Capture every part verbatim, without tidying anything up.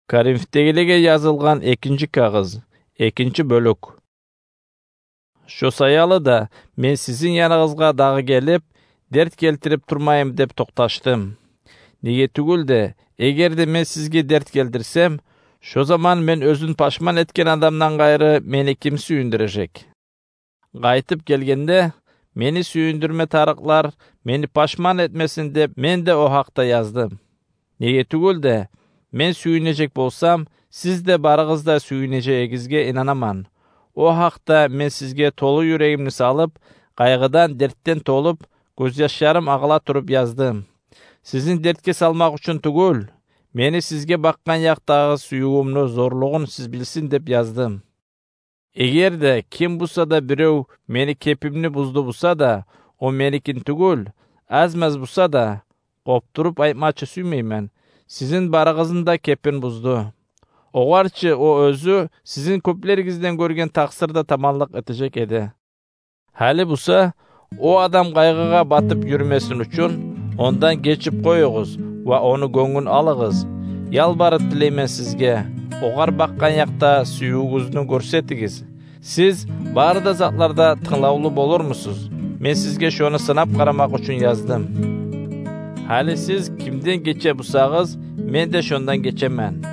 Коринфдегилеге язылгъан экинчи кагъыз, экинчи бёлюк. Шо саялы да, мен сизин яныгъызгъа дагъы гелип, дерт гелтирип турмайым деп токъташдым. Неге тюгюл де, эгер де мен сизге дерт гелтирсем, шо заман мен оьзюн пашман этген адамдан къайры мени ким сююндюрежек? Къайтып гелгенде, мени сююндюрме тарыкълар мени пашман этмесин деп, мен де о гьакъда яздым. Неге тюгюл де, мен сююнежек болсам, сиз де барыгъыз да сююнежегигизге инанаман. О гьакъда мен сизге толу юрегимни салып, къайгъыдан, дертден толуп, гёзьяшларым агъыла туруп яздым. Сизин дертге салмакъ учун тюгюл, мени сизге бакъгъан якъдагъы сюювюмню зорлугъун сиз билсин деп яздым. Эгер де ким буса да бирев мени кепимни бузду буса да, о меникин тюгюл, аз-маз буса да, къопдуруп айтмакъчы сюймеймен, сизин барыгъызны да кепин бузду. Огъар чы о оьзю сизин кёплеригизден гёрген такъсырда таманлыкъ этежек эди. Гьали буса, о адам къайгъыгъа батып юрюмесин учун, ондан гечип къоюгъуз ва ону гёнгюн алыгъыз. Ялбарып тилеймен сизге, огъар бакъгъан якъда сюювюгюзню гёрсетигиз. Сиз бары да затларда тынглавлу болурмусуз? Мен сизге шону сынап къарамакъ учун яздым. Гьали сиз кимден гече бусагъыз, мен де шондан гечемен.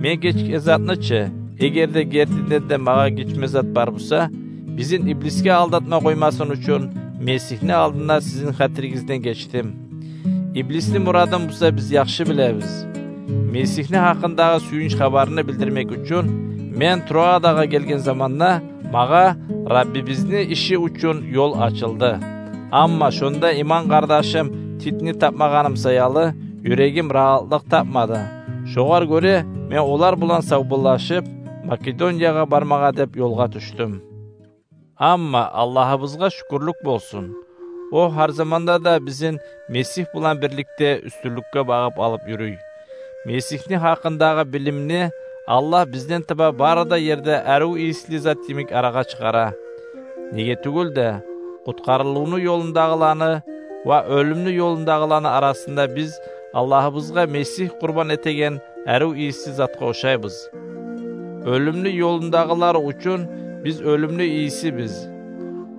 Мен гечген затны чы, эгер де гертиден де магъа гечме зат бар буса, бизин иблисге алдатма къоймасын учун, Месигьни алдында сизин хатиригизден гечдим. Иблисни мурадын буса биз яхшы билебиз. Месигьни гьакъындагъы сююнч хабарны билдирмек учун мен Троадагъа гелген заманда, магъа Раббибизни иши учун ёл ачылды. Амма шонда иман къардашым Титни тапмагъаным саялы, юрегим рагьатлыкъ тапмады. Шогъар гёре мен олар булан савболлашып, Македониягъа бармагъа деп ёлгъа тюшдюм. Амма Аллагьыбызгъа шюкюрлюк болсун, о гьар заманда да бизин Месигь булан бирликде уьстюнлюкге багъып алып юрюй. Месигьни гьакъындагъы билимни Аллагь бизден таба бары да ерде арив ийисли зат йимик арагъа чыгъара. Неге тюгюл де, къутгъарылывну ёлундагъыланы ва оьлюмню ёлундагъыланы арасында биз Аллагьыбызгъа Месигь къурбан этеген арив ийиси затгъа ошайбыз. Оьлюмню ёлундагъылар учун биз оьлюмню ийисибиз.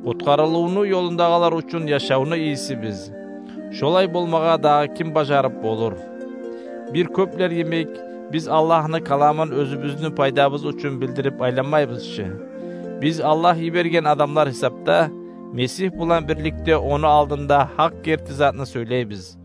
Къутгъарылывну ёлундагъылар учун яшавну ийисибиз. Шолай болмагъа дагъы ким бажарып болур? Бир кёплер йимик, биз Аллагьны каламын оьзюбюзню пайдабыз учун билдирип айланмайбыз чы. Биз Аллагь йиберген адамлар гьисапда, Месигь булан бирликде ону алдында гьакъ герти затны сёйлейбиз.